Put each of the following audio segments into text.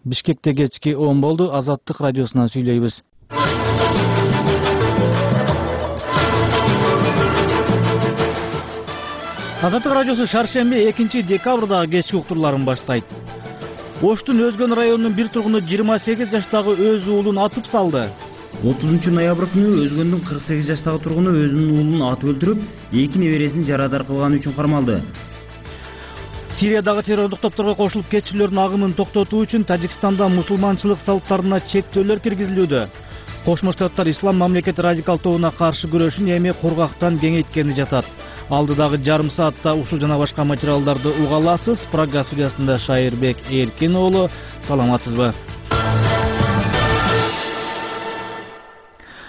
Бишкекте кечки 10 болду. Азаттык радиосунан сүйлөйбүз. Азаттык радиосу шаршемби 2-декабрдагы кечки уктурларын баштайт. Оштун Өзгөн районунун бир тургуну 28 жаштагы өз уулун атып салды. 30-ноябрь күнү Өзгөндүн 48 жаштагы тургуну өзүнүн уулун атып өлтүрүп, 2 небересин жарадар кылганы үчүн кармалды. Сириядагы террорлук топторго кошулуп кетчүлөрдүн агымын токтотуу үчүн Тажикстанда мусулманчылык салттарына чектөөлөр киргизилүүдө. Кошмо Штаттар Ислам мамлекети радикал тобуна каршы күрөшүн эми кургактан кеңейткени жатат. Алдыдагы жарым саатта ушул жана башка материалдарды уга аласыз. Прага студиясында Шайырбек Эркин уулу. Саламатсызбы?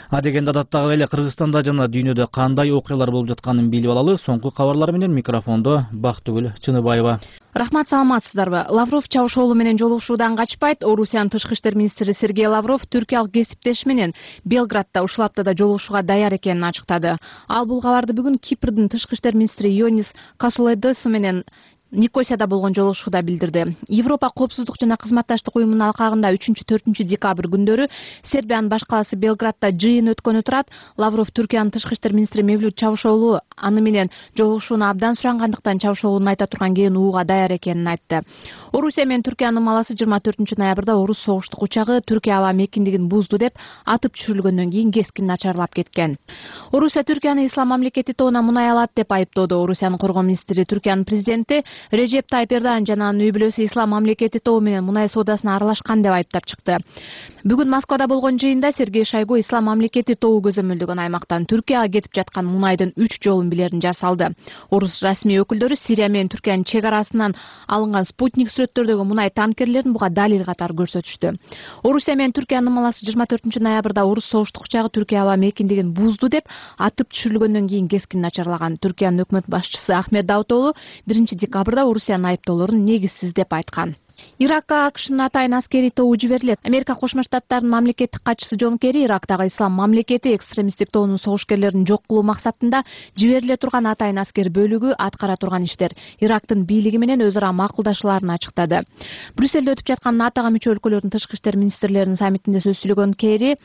Адегенде адаттагы эле Кыргызстанда жана дүйнөдө кандай окуялар болуп жатканын билип алалы. Соңку кабарлар менен микрофондо Бактыгүл Чыныбаева. Рахмат, саламатсыздарбы? Лавров Чавушоğlu менен жолугушуудан качпайт. Орусиянын тышкы иштер министри Сергей Лавров түркиялык кесиптеши менен Белградда ушул аптада жолугушууга даяр экенин ачыктады. Ал бул кабарды бүгүн Кипрдин тышкы иштер министри Ионис Касулайдесу менен Никосияда болгон жолугушууда билдирди. Европа коопсуздук жана кызматташтык уюмунун алкагында 3-4 декабрь күндөрү Сербиянын баш каласы Белградда жыйын өткөнү турат. Лавров Түркиянын тышкы иштер министри Мевлют Чавушоğlu аны менен жолугушууну абдан сурангандыктан Чавушоğlu'нун айта турган кийин ууга даяр экенин айтты. Орусия менен Түркиянын маласы 24-ноябрда орус согуштук учагы Түркия аба мекиндигин бузду деп атып түшүрүлгөндөн кийин кескин начарлап кеткен. Орусия Түркияны ислам мамлекети тобуна мунай алат деп айыптоодо. Орусиянын коргоо министри Түркиянын президенти Режеп Тайып Эрдоган жана анын үй бүлөсү ислам мамлекети тобу менен мунай соодасына аралашкан деп айыптап чыкты. Бүгүн Москвада болгон жыйында Сергей Шойгу ислам мамлекети тобу көзөмөлдөгөн аймактан Түркияга кетип жаткан мунайдын 3 жолун билерин жар салды. Орус расмий өкүлдөрү Сирия менен Түркиянын чек арасынан алынган спутник сүрөттөрдөгү мунай танкерлерин буга далил катары көрсөтүштү. Орусия менен Түркиянын маласы 24-ноябрда орус согуштук учагы Түркия аба мекиндигин бузду деп атып түшүрүлгөндөн кийин кескин начарлаган. Түркиянын өкмөт башчысы Ахмед Давутоğlu 1-декабрда Орусиянын айыптоолорун негизсиз деп айткан. Иракка АКШнын атайын аскерий тобу жиберилет. Америка Кошмо Штаттарынын мамлекеттик катчысы Джон Керри Ирактагы ислам мамлекети экстремисттик тобунун согушкерлерин жок кылуу максатында жибериле турган атайын аскер бөлүгү аткара турган иштер Ирактын бийлиги менен өз ара макулдашууларын ачыктады. Брюссельде өтүп жаткан НАТОга мүчө өлкөлөрдүн тышкы иштер министрлеринин саммитинде сөз сүйлөгөн Керри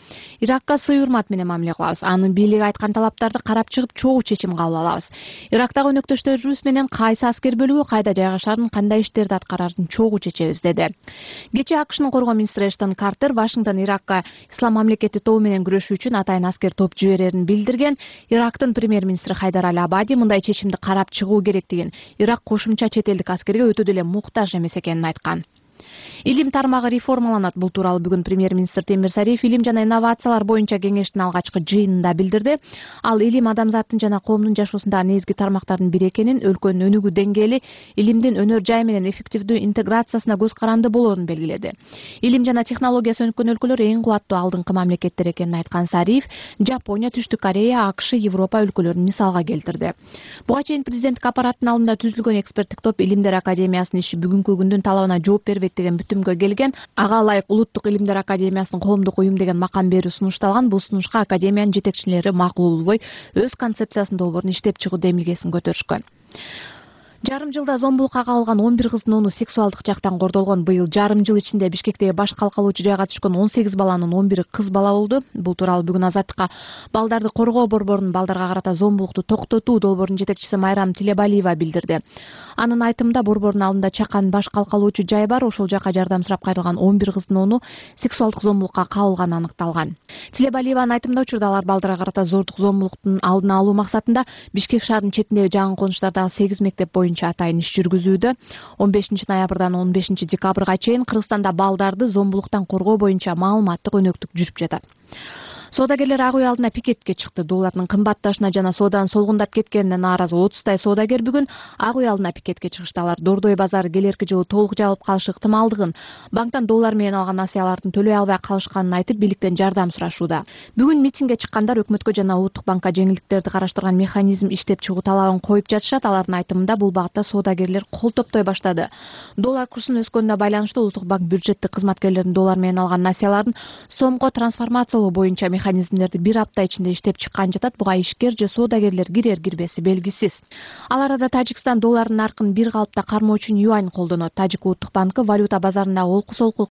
Иракка сый урмат менен мамиле кылабыз. Анын бийлиги айткан талаптарды карап чыгып чогуу чечим кабыл алабыз. Ирактагы өнөктөштөрүбүз менен кайсы аскер бөлүгү кайда жайгашарын, кандай иштерди аткарарын чогуу чечебиз деди. Кечээ АКШнын коргоо министри Эштон Картер Вашингтон Иракка ислам мамлекети тобу менен күрөшүү үчүн атайын аскер топ жиберерин билдирген. Ирактын премьер-министри Хайдар Аль-Абади мындай чечимди карап чыгуу керектигин, Ирак кошумча чет элдик аскерге өтө деле муктаж эмес экенин айткан. Илим тармагы реформаланат. Бул тууралуу бүгүн премьер-министр Темир Сариев илим жана инновациялар боюнча кеңештин алгачкы жыйынында билдирди. Ал илим адамзаттын жана коомдун жашоосундагы негизги тармактардын бири экенин, өлкөнүн өнүгүү деңгээли илимдин өнөр жай менен эффективдүү интеграциясына көз каранды болоорун белгиледи. Илим жана технологиясы өнүккөн өлкөлөр эң кубаттуу алдыңкы мамлекеттер экенин айткан Сариев Жапония, Түштүк Корея, АКШ, Европа өлкөлөрүн мисалга келтирди. Буга чейин президенттик аппараттын алдында түзүлгөн эксперттик топ Илимдер академиясынын иши бүгүнкү күндүн талабына жооп бербейт деген бүтүмгө келген. Ага ылайык Улуттук Илимдер академиясынын коомдук уюм деген макам берүү сунушталган. Бул сунушка академиянын жетекчилери макул болбой өз концепциясын долбоорун иштеп чыгуу демилгесин көтөрүшкөн. Жарым жылда зомбулукка кабылган 11 кыздын 10-у сексуалдык жактан кордолгон. Быйыл жарым жыл ичинде Бишкектеги баш калкалоочу жайга түшкөн 18 баланын 11-и кыз бала болду. Бул тууралуу бүгүн Азаттыкка балдарды коргоо борборунун балдарга карата зомбулукту токтотуу долбоорунун жетекчиси Майрам Тилебалиева билдирди. Анын айтымында борбордун алдында чакан баш калкалоочу жай бар. Ошол жака жардам сурап кайрылган 11 кыздын 10-у сексуалдык зомбулукка кабылганы аныкталган. Тилебалиеванын айтымында учурда алар балдарга карата зордук зомбулуктун алдын алуу максатында Бишкек шаарынын четиндеги жаңы конуштардагы 8 мектеп боюнча атайын иш жүргүзүүдө. 15-ноябрдан 15-декабрга чейин Кыргызстанда балдарды зомбулуктан коргоо боюнча маалыматтык өнөктүк жүрүп жатат. Соодагерлер ак үй алдына пикетке чыкты. Доллардын кымбатташына жана сооданын солгундап кеткенине нааразы 30 соодагер бүгүн ак үй алдына пикетке чыгышты. Алар Дордой базары келерки жылы толук жабылып калышы ыктымалдыгын, банктан доллар менен алган насыялардын төлөй албай калышканын айтып, бийликтен жардам сурашууда. Бүгүн митингге чыккандар өкмөткө жана Улуттук банкка жеңилдиктерди караштырган механизм иштеп чыгуу талабын коюп жатышат. Алардын айтымында бул багытта соодагерлер кол топтой баштады. Доллар курсунун өскөнүнө байланыштуу Улуттук банк бюджеттик кызматкерлердин доллар менен алган насыяларын сомго трансформациялоо боюнча механизмдерди бир апта ичинде иштеп чыккан жатат. Буга ишкер же соодагерлер кирер-кирбеси белгисиз. Ал арада Тажикстан доллардын наркын бир калыпта кармоо үчүн юань колдонот. Тажик Улуттук банкы валюта базарындагы олку-солку